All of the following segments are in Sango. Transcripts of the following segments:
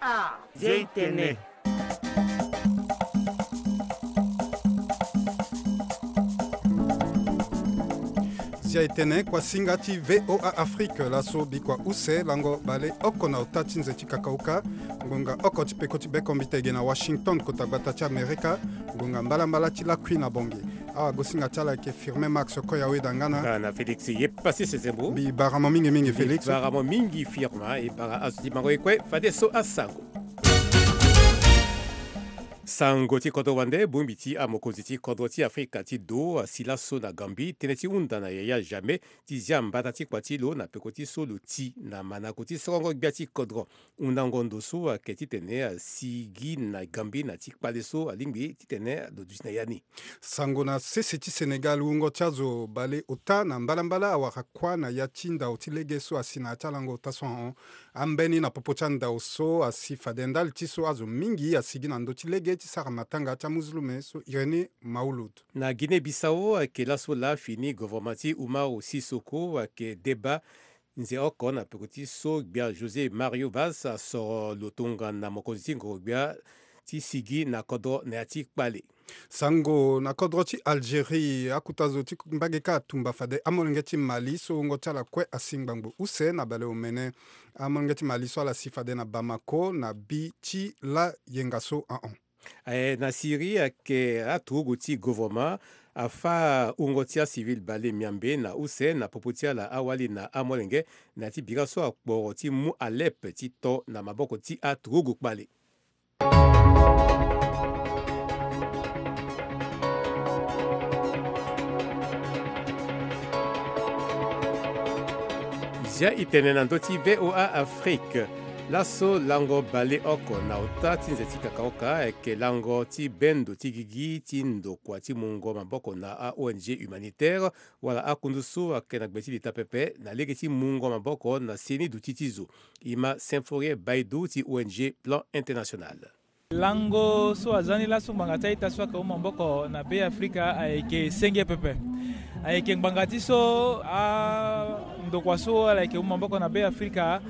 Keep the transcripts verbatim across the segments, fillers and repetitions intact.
Ah, Zia e tene. Zia-e-tene, kuasinga ti V O A Afrique, laso bikua use lango baleoko na ota ti nze ti kakauka, ngonga oko ti peko ti bekombite ge na Washington, kota gbata ti Amerika, ngonga mbalambala ti lakui na Bangui. Awagosinga ti ala ayeke Firmin Max Koyaweda nga na, nga na Félix Yepassis Zembo. Mbi bara mo mingi mingi, Félix. Mbi bara mo mingi, Firmin, e bara azo ti mango e kue fadeso asango. Sango ti kodro wande, bongbi ti amokonzi ti kodro ti Afrika ti do asi laso na Gambie tënë ti hunda na Yaya Jammeh ti zia mbata ti kua ti lo na peko ti so lo ti na manako ti sorongo gbia ti kodro. Hundango ndo so ayeke titene asigi na Gambie na ti kpale so alingbi titene lo duti na ya ni. Sango na sese ti Sénégal, wungo ti azo baleota na mbalambala awara kuâ na ya ti ndau ti lege so asi na ya ti alango ota so ahon. Ambeni na popo ti andau so asi fade ndali ti so azo mingi asigi na ndö ti lege ti sara matanga ti amuzulume so Irénée Maouloud. Na Guinée-Bissau ayeke laso laa fini govoroma ti Umaro Sissoko ayeke deba nze oko na peko ti so gbia José Mario Vaz asoro lo tongana mokonzi ti ngoro-gbia ti sigi na kodro na ya ti kpale. Sango na kodro ti Algérie, akuta zo ti mbage kâ atumba fade amolenge ti Mali so wungo ti ala kue asi ngbangbo use na baleomene. Amolenge ti Mali so ala si fade na Bamako na bi ti layenga so ahon. Aye, na Syrie ayeke aturugu ti govoroma afâ wungo ti acivil bale miambe na use na popo ti ala awali na amolenge na ya ti bira so akporo ti mu Alep ti to na maboko ti aturugu kpale. Zia e tene na ndö ti V O A Afrique. Laso lango baleoko na ota ti nze ti kakaoka ayeke lango ti bendo ti gigi ti ndokua ti mungo maboko na a-O N G humanitaire, wala akundu so ayeke na gbe ti leta pepe na lege ti mungo maboko na seni duti ti zo. E ma Symphorien Baidou ti O N G Plan International. Lango so aza ni laso ngbanga ti a-ita so ayeke hon maboko na Be Afrika ayeke senge pepe. Ayeke ngbanga ti so andokua so ala yeke hon maboko na Be Afrika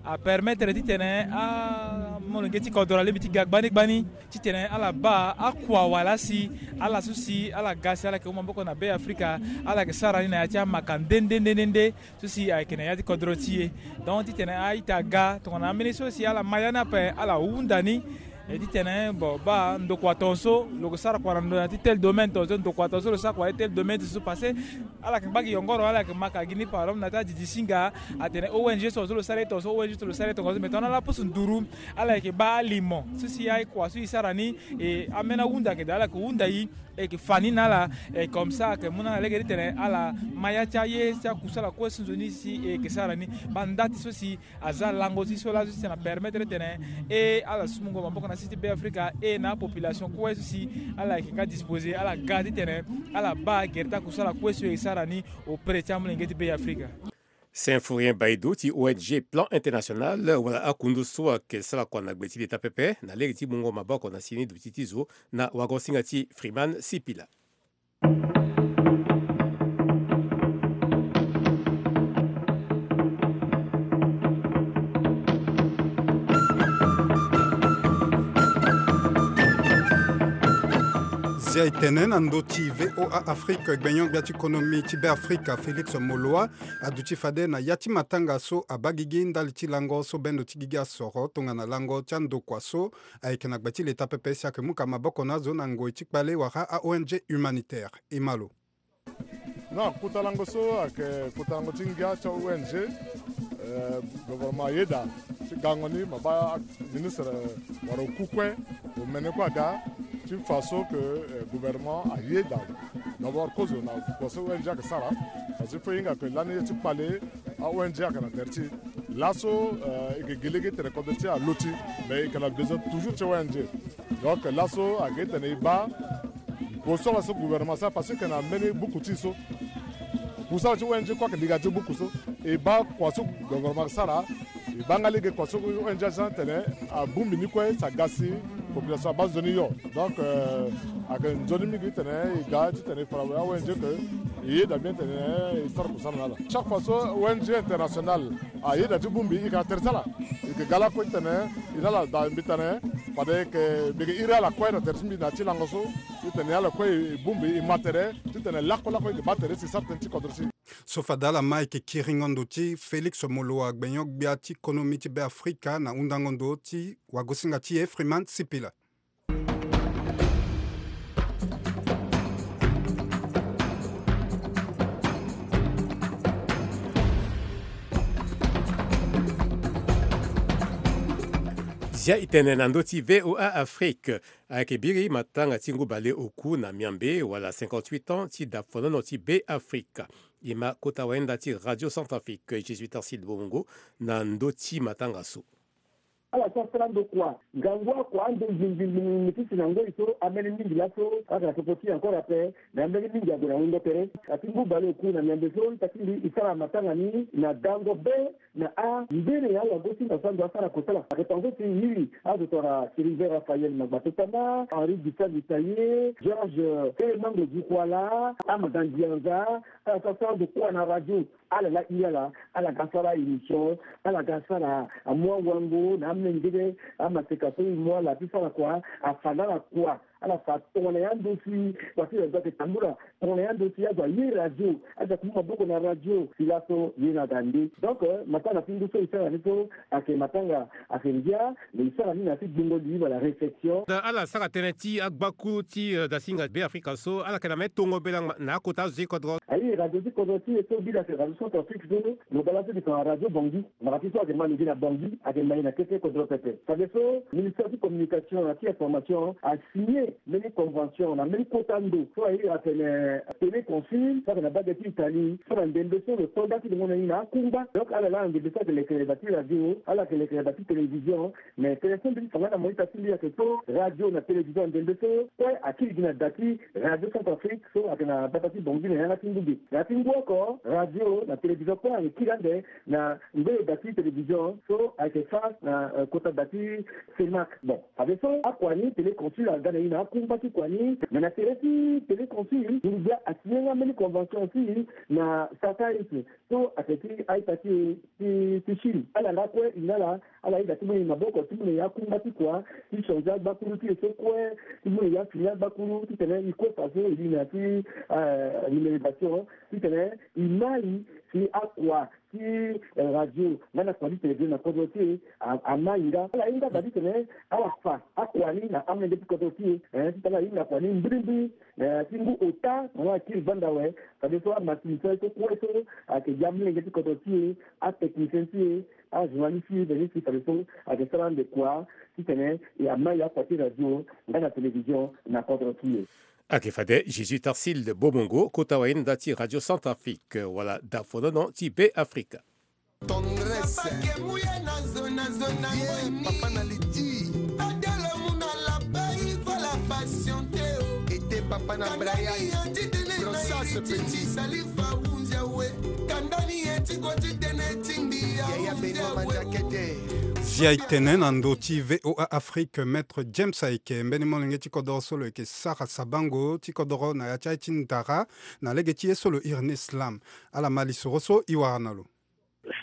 apermettre titene amolenge ti kodro alingbi ti ga gbani gbani titene ala baa akua wala asi ala so si ala ga si ala yeke hon maboko na Be Afrika, ala yeke sara ni na ya ti amaka nde nde nde nde nde. So si ayeke na ya ti kodro ti e. Donc titene a-ita aga tongana ambeni so si ala ma ya ni ape ala hunda ni. E titene bon baa ndokua tongaso lo yeke sara kua na ndo na ya ti tel domaine tongaso, ndokua tongaso lo sara kua na ya ti tel domaine ti so parce que ala yeke ngba gi yongoro, ala yeke ma ka gi ni par exemple na ya ti adidi singa atene O N G so tongaso lo sara ye tongaso, O N G so lo sara ye tongaso, mais tongana ala pusu nduru ala yeke baa alimo so si akua so e sara ni. E ambeni ahunda ayeke daa ala yeke hunda e. E yeke fa ni na ala. E comme ça ayeke mu na ala lege titene ala ma ya ti aye ti akusala kue so nzoni si e yeke sara ni. Baa nda ti so si aza lango ti so laso titene apermettre titene e ala so mungo maboko na sese ti Be Afrika e na apopulation kue so si ala yeke nga disposer ala ga titene ala baa gere ti akusala kue so e sara ni auprès ti amolenge ti Be Afrika. Symphorien Baidou ti O N G Plan International wala akundu so ayeke sara kua na gbe ti leta pepe na lege ti mungo maboko na seni duti ti zo na wagosinga ti Freeman Sipila. Zia e tene na ndö ti V O A Afrique, gbenyo-gbia ti konomi ti Be Afrika Félix Moloua aduti fade na ya ti matanga so abaa gigi ndali ti lango so bendo ti gigi asoro tongana lango ti andokua so ayeke na gbe ti leta pepe si ayeke mu ka maboko na azo na ngoi ti kpale wala a-O N G humanitaire. E ma lo. Non, kota lango so ayeke kota lango ti ngia ti a-O N G. Eh, gouvernement ayeda ti gango ni ma baa ministre wala oku kue omene kue aga ti fa so ke, eh, gouvernement ayeda d'abord kozo na kua so O N G ayeke sara. Parce que fo e hinga ke lani ye ti kpale a-O N G ayeke na tere ti e. Laso, eh, e yeke gi lege tene kodro ti e aloti, mais e yeke na besoin toujours ti O N G. Donc laso ayeke tene e baa kusala so gouvernement asara parce que e yeke na mbeni buku ti e so. Kusala ti O N G kue ayeke liga ti buku so. E baa kua so gouvernement asara, e baa nga lege kua so O N G asara tene abongbi ni kue si aga si population abaa nzoni yo. Donc, euh, ayeke nzoni mingi titene e ga titene e fa na a-O N G ke e yeda bien titene e sara kusala na ala. Chaque fois so O N G internationale ayeda ti bongbi, e yeke na tere ti ala. E yeke ga lakue titene E na ala daa mbi tene fade e yeke iri ala kue na tere ti mbi na ya ti lango so, titene ala kue e bongbi e ma tere, titene lakue lakue e yeke baa tere si e sara tënë ti kodro ti e. So fade ala ma e yeke kiringo ndo ti Félix Moloua, gbenyo-gbia ti konomi ti Be Afrika, na hundango ndo ti wagosinga ti e Freeman Sipila. Zia e tene na ndö ti V O A Afrique. Ayeke biri matanga ti ngu bale oku na miambe wala cinquante-huit ans ti dafonono ti Be Afrika. E ma kota wayenda ti Radio Centrafrique, Jésuite Arcide Bomongo, na ndö ti matanga so. Ala so asara ndo kua, ngangu akua ando ngbingbingbingbi ti si na ngoi so ambeni mingi laso ayeke na popo ti e encore ape. Na ambeni mingi ague na wungo tere. Ati ngu bale oku na miambe so ita ti mbi e sara matanga ni na dango be na ambeni awagosinga so ando asara kosala. Ayeke tongaso ti e iri azo tongana Sylvain Raphaël Magbatotama, Henri Gustave Itaye, Georges Temango Dikuala, Amada Ndianza, ala so asara ndo kua na radio. Ala laa iri ala, ala ga sara émission, ala ga sara amu awango na amengele amaseka so e mu ala ti sara kua, afa na ala kua. Ala fa tongana ya ndo si kua ti radio ayeke tambula, tongana ya ndo si azo aye radio, azo ake mu maboko na radio, si laso ye na ga nde. Donc, euh, matanga ti ngu so e sara ni so ayeke matanga ayeke ngia, mais e sara ni na ya ti gbungo li wala réflexion. Da ala sara tënë ti agbakuru ti, euh, dasinga Be Afrika so, ala yeke na me tongo bela ngba na akota azo ti kodro. Aye radio ti kodro ti e so biri ayeke radio Centrafrique so, lo baa laso e tene Radio Bangui. Mara ti so ayeke ma lo gi na Bangui, ayeke ma e na kete kodro pepe. Fadeso, ministère ti communication na ti information asigne mbeni convention na mbeni kota ndo so aye atene Téléconsule, so ayeke na bage ti Italie, so na ndembe so lo to nda ti lo ngo na ni na akungba. Donc ala laa na ndembe so ayeke lekere da ti radio, ala yeke lekere da ti télévision, mais tënë so mbi ti fa nga na mo ita ti mbi ayeke so radio na télévision na ndembe so kue akiri gi na da ti Radio Centrafrique so ayeke na gbata ti Bangui na yanga ti ngu ge. Na ya ti ngu oko, radio na télévision kue ayeke kiri ande na ngoi da ti télévision so ayeke fa na, euh, kota da ti CEMAC. Bon, fadeso akua ni Téléconsule aga na e na akungba ti kua ni, me na tere ti Téléconsule, Tunisia asigne nga mbeni convention aussi na Sataïs so ayeke ti a-ita ti, ti, ti Chine. Ala nga kue e na ala, ala yeda ti mu na e maboko ti mu na e akungba ti kua ti changer agbakuru ti e so kue, ti mu na e afini agbakuru titene e kue fa so e li na ya ti, euh, numérisation, titene e mai si akua ti, eh, radio nga na kua ti télévision na kodro ti e a, amai nga. Ala hinga da titene ala fa akua ni na amolenge ti kodro ti e, eh, titene ala hinga kua ni mbirimbiri, eh, ti ngu ota na ala kiri banda awe. Fadeso amasini so aye so kue so ayeke gi amolenge ti kodro ti e, atechnicien ti e, ajournaliste ti e, fadeso ayeke sara ande kua titene e amai akua ti radio nga na télévision na kodro ti e. Ayeke fade Jésus Tarsil Bomongo, kota wayenda ti Radio Centrafrique, wala dafonono ti Be Afrika. Tendresse. Ye, papa na liti. Ete papa na Brian. Grossesse petit. Yaya Benoît Mandiakete. Zia e tene na ndö ti V O A Afrique, Maître James ayeke mbeni molenge ti kodoro so lo yeke sara sabango ti kodoro na ya ti aye ti ndara na lege ti ye so lo iri ni slam. Ala ma lisoro so e wara na lo.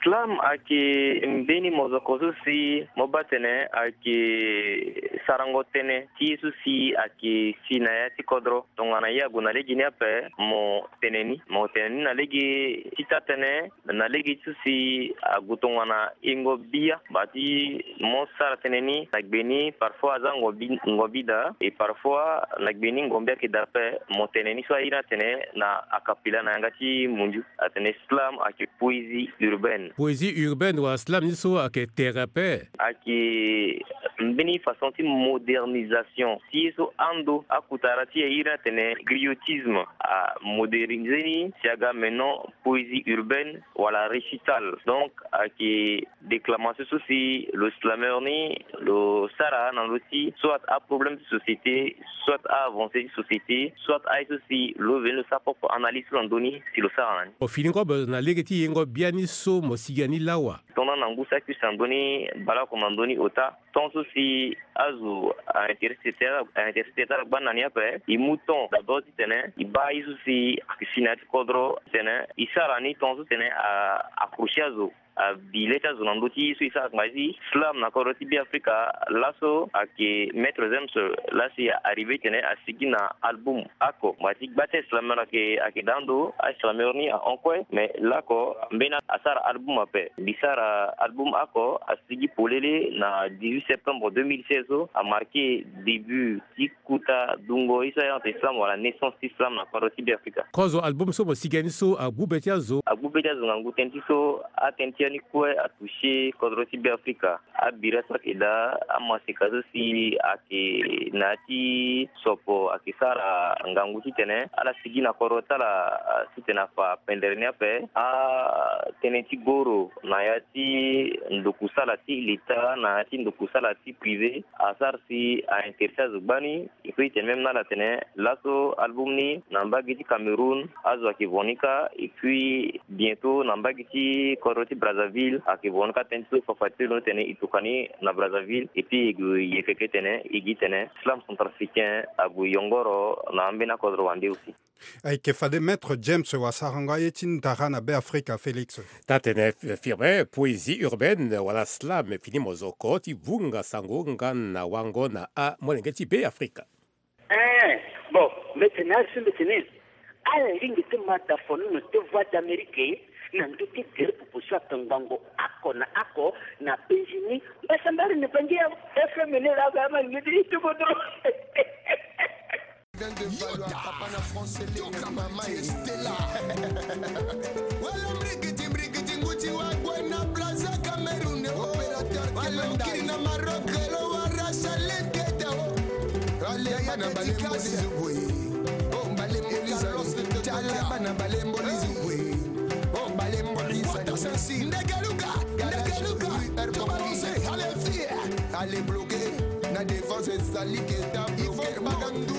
Slam ayeke mbeni mozoko so si mo baa tene ayeke sarango tënë ti ye so si ayeke si na ya ti kodro. Tongana ye ague na lege ni ape, mo tene ni, mo tene ni na lege ti taa-tënë, na lege ti so si ague tongana yengo bia, baa ti mo sara tënë ni na gbe ni, parfois aza ngombi, ngombi daa, et parfois na gbe ni ngombi ayeke daa ape, mo tene ni so aye ni atene na akapila na yanga ti mundu. Atene slam ayeke poésie urbaine. Poésie urbaine wala slam ni so ayeke tere ape. Ayeke mbeni façon ti modernisation ti ye so ando akutara ti e iri ni atene griotisme. Amodernise ni si aga maintenant poésie urbaine wala récital. Donc ayeke déclamation so si lo slameur ni lo sara na ndö ti soit aproblème ti société, soit a-avancé ti société, soit aye so si lo veni lo sara propre analyse so na ndö ni si lo sara na ni. Mo fini kobe na lege ti yengo biani so mo sigi na ni lawa. Tongana na ngu so akui si na ndö ni baleoko na ndö ni ota, temps so si azo a-intéressé ti, a-intéressé ti ala gbani na ni ape, e mu temps d'abord titene e baa ye so si ayeke si na ya ti kodro titene e sara ni temps so titene a, accroché azo. abi le ti azo na ndö ti so e sara ngba ti slam na kodro ti Beafrika. Laso ayeke Maître James laa si a arrivé titene asigi na album oko. Ngba ti gba ti slameur ayeke, ayeke daa ndo, aslameur ni ahon kue, mais laoko mbeni asara album ape. Mbi sara album oko asigi polele na dix-huit septembre deux mille seize so, amarqué début ti kota dungo ye so ayeke slam wala naissance ti slam na kodro ti Beafrika. Kozo album so mo sigi ya ni so agbu be ti azo? Agbu be ti azo ngangu tënë ti so, atënë ti ya ni kue atouché kodro ti Beafrika. Abira so ayeke daa amaseka so si ayeke na ya ti sopo ayeke sara ngangu titene ala sigi na kodro ti ala, ah, titene afa pendere ni ape. Atënë ti goro na ya ti ndokusala ti leta na ya ti ndokusala ti privé asara si a intéressé azo gbani. Il faut titene même na ala tene laso album ni na mbage ti Cameroun azo ayeke vo ni kâ, et puis bientôt na mbage ti kodro ti Brazzaville ayeke vo ni kâ. Tënë ti so fafa ti lo tene e tokua ni na Brazzaville, et puis e gue e yeke kue tene e gi tene slam centrafricain ague yongoro na ambeni akodro wande aussi. Ayeke fade Maître James wa sarango aye ti ndara na Beafrika, Félix. Taa-tënë, eh, Firmin, poésie urbaine wala slam fini mozoko ti vunga sango nga na wango na amolenge ti Beafrika. Eh, bon, mbi tene ala so mbi tene ala lingbi ti ma dafono na te Voix d'Amérique na ndö ti gere popo so atongbango oko na oko na penzi ni. Mbasambari na bangi ya F M ni laa ba ma lingbi ti ti kodro. Yoda. Wala mrikiti mrikiti nguti wa gwe na Brazza Cameroun. Opérateur Kelenda. Kiri na Maroc lo wara Salem Keita o. Ale bana bale mboli zugwe. O bale mboli zugwe. Tala bana bale mboli zugwe. O bale mboli zugwe. Ndeke Luka, ndeke Luka. To balancer, allez viens. Allez bloquer. Na défense ezali Keita bloquer. Magandu.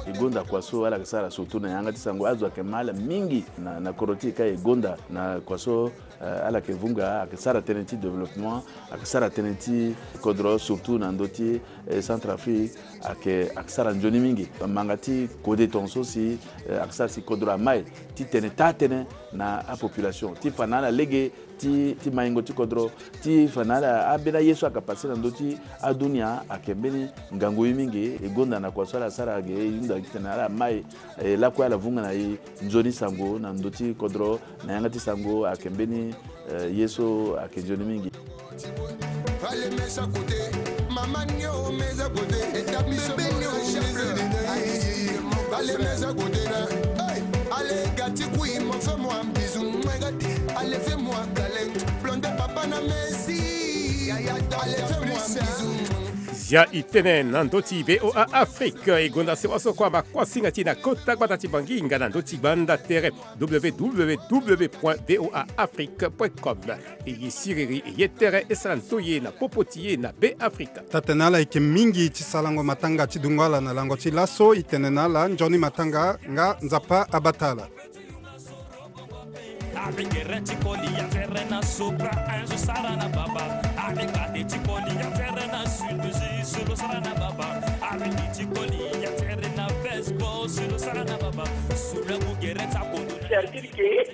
E gonda kua so ala yeke sara surtout na yanga ti sango, azo ayeke ma ala mingi na, na kodro ti e kâ. E gonda na kua so, eh, ala yeke vunga, ayeke sara tënë ti développement, ayeke sara tënë ti kodro surtout na ndö ti, eh, Centrafrique, ayeke, ayeke sara nzoni mingi. Manga ti kode tongaso si, eh, ayeke sara si kodro amai ti tene taa-tënë na apopulation ti fa na ala lege ti, ti maingo ti kodro, ti fa na ala ambeni aye so ayeke passé na ndö ti adunia ayeke mbeni ngangu ye mingi. E gonda na kua so ala sara ge, e hunda gi titene ala mai, e lakue ala vunga na e nzoni sango na ndö ti kodro na yanga ti sango ayeke mbeni, eh, ye so ayeke nzoni mingi. Ale mesa kote, mama nio mesa kote, établissement nio mesa kote. Ale mesa kote na, hey, ale gati kui mo fais moi un bisou, mwe gati, ale fais moi un câlin, blonde papa na Messi. Ale fais moi un bisou. Zia e tene na ndö ti V O A Afrique, e gonda sewa so kua ma kuasinga ti e na kota gbata ti Bangi nga na ndö ti gbanda tere. W W W point V O A Afrique point com. E ye siriri, e ye tere, e sara ntoye na popo ti e na Beafrika. Taa-tënë ala yeke mingi ti sarango matanga ti dungo ala na lango ti laso. E tene na ala nzoni matanga nga Nzapa abata ala. Sarkiri ke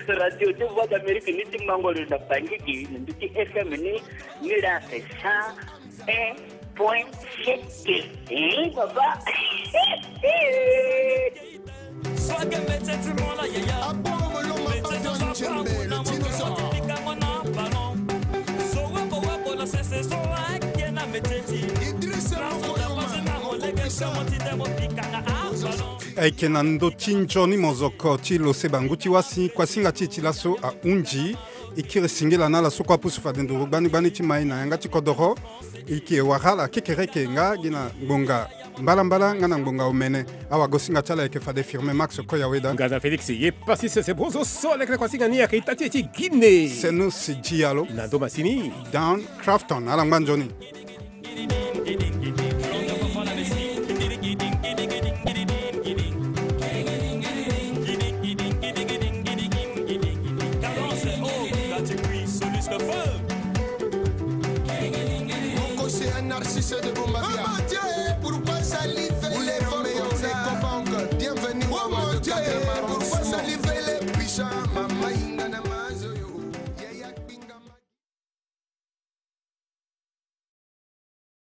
radio ti Voix d'Amérique ni ti mango lo na Bangi gi na ndö ti F M ni, ni la c'est cent un point sept. Eh, papa. Ayeke na ndö ti nzoni mozoko ti lo se bangu ti wasi kuasinga ti e ti laso ahunzi. E kiri singila na ala so kue apusu fade nduru gbani gbani ti mai na yanga ti kodoro. E yeke wara ala kekereke nga gi na ngbonga mbalambala nga na ngbonga omene. Awagosinga ti ala ayeke fade Firmin Max Koyaweda. Nga na Félix ye pasi sese bozo so leke na kuasinga ni ayeke ita ti e ti Guinée. Seno Sidi Yalo. Na ndo masini. Dan Crafton, ala ngba nzoni. Moko c'est un narcisse de Bombavia. Oh mon Dieu, pourquoi salive?